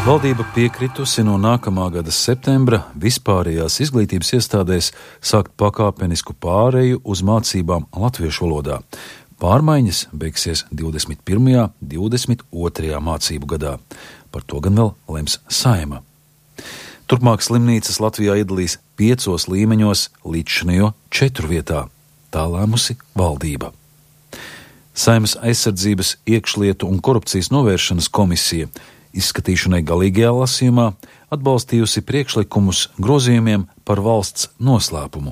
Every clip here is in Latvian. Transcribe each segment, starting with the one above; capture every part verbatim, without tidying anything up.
Valdība piekritusi no nākamā gada septembra vispārējās izglītības iestādēs sākt pakāpenisku pāreju uz mācībām latviešu valodā. Pārmaiņas beigsies divdesmit pirmajā, divdesmit otrajā mācību gadā. Par to gan vēl lems Saeima. Turpmāk slimnīcas Latvijā iedalīs piecos līmeņos līdzšinējo četru vietā. Tā lēmusi valdība. Saeimas aizsardzības, iekšlietu un korupcijas novēršanas komisija izskatīšanai galīgajā lasījumā atbalstījusi priekšlikumus grozījumiem par valsts noslēpumu.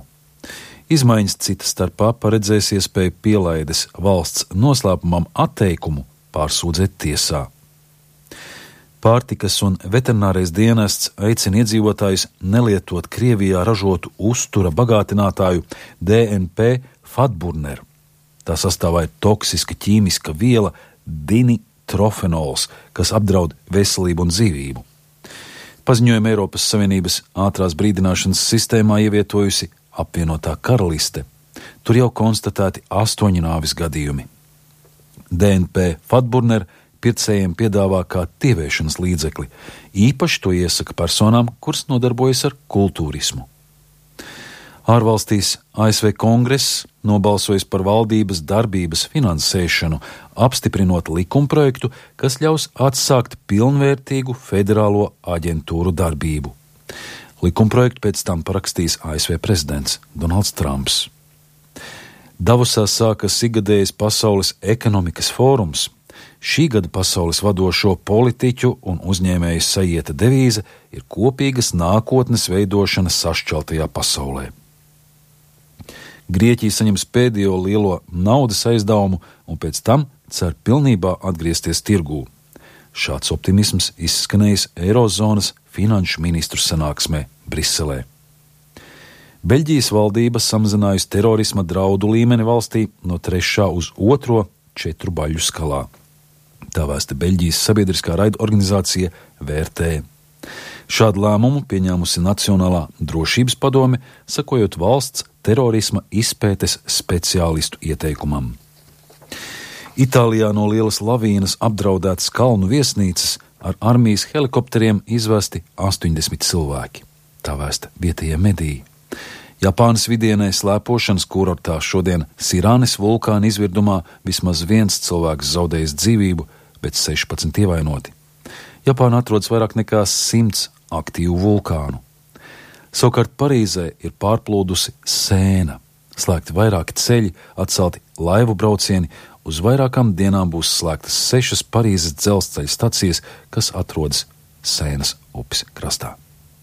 Izmaiņas cita starpā paredzēs iespēju pielaides valsts noslēpumam atteikumu pārsūdzēt tiesā. Pārtikas un veterinārais dienests aicina iedzīvotājus nelietot Krievijā ražotu uztura bagātinātāju D N P fatburneru. Tā sastāvā ir toksiska ķīmiska viela dinitrofenols, kas apdraud veselību un dzīvību. Paziņojumu Eiropas Savienības ātrās brīdināšanas sistēmā ievietojusi apvienotā karaliste. Tur jau konstatēti astoņi nāvis gadījumi. D N P fatburneru pircējiem piedāvā kā tieviešanas līdzekli. Īpaši to iesaka personām, kuras nodarbojas ar kultūrismu. Ārvalstīs A S V Kongress nobalsojis par valdības darbības finansēšanu, apstiprinot likumprojektu, kas ļaus atsākt pilnvērtīgu federālo aģentūru darbību. Likumprojektu pēc tam parakstīs A S V prezidents Donalds Trumps. Davosā sākas ikgadējais Pasaules ekonomikas fórums. Šī gada pasaules vadošo politiķu un uzņēmēju sajieta devīze ir kopīgas nākotnes veidošana sašķeltajā pasaulē. Grieķija saņems pēdējo lielo naudas aizdevumu un pēc tam cer pilnībā atgriezties tirgū. Šāds optimisms izskanējis Eirozonas finanšu ministru sanāksmē Briselē. Beļģijas valdība samazinājusi terorisma draudu līmeni valstī no trešā uz otro četru baļu skalā. Tā vēsta Beļģijas sabiedriskā raida organizācija V R T. Šādu lēmumu pieņēmusi Nacionālā drošības padome, sakojot valsts terorisma izpētes speciālistu ieteikumam. Itālijā no lielas lavīnas apdraudētas kalnu viesnīcas ar armijas helikopteriem izvesti astoņdesmit cilvēki. Tā vēsta vietējie mediji. Japānas vidienē slēpošanas kurortā šodien Sirānes vulkāna izvirdumā vismaz viens cilvēks zaudējis dzīvību, bet sešpadsmit ievainoti. Japāna atrodas vairāk nekā simts aktīvu vulkānu. Savukārt Parīzē ir pārplūdusi Sēna. Slēgti vairāki ceļi, atcelti laivu braucieni, uz vairākām dienām būs slēgtas sešas Parīzes dzelzceļa stacijas, kas atrodas Sēnas upes krastā.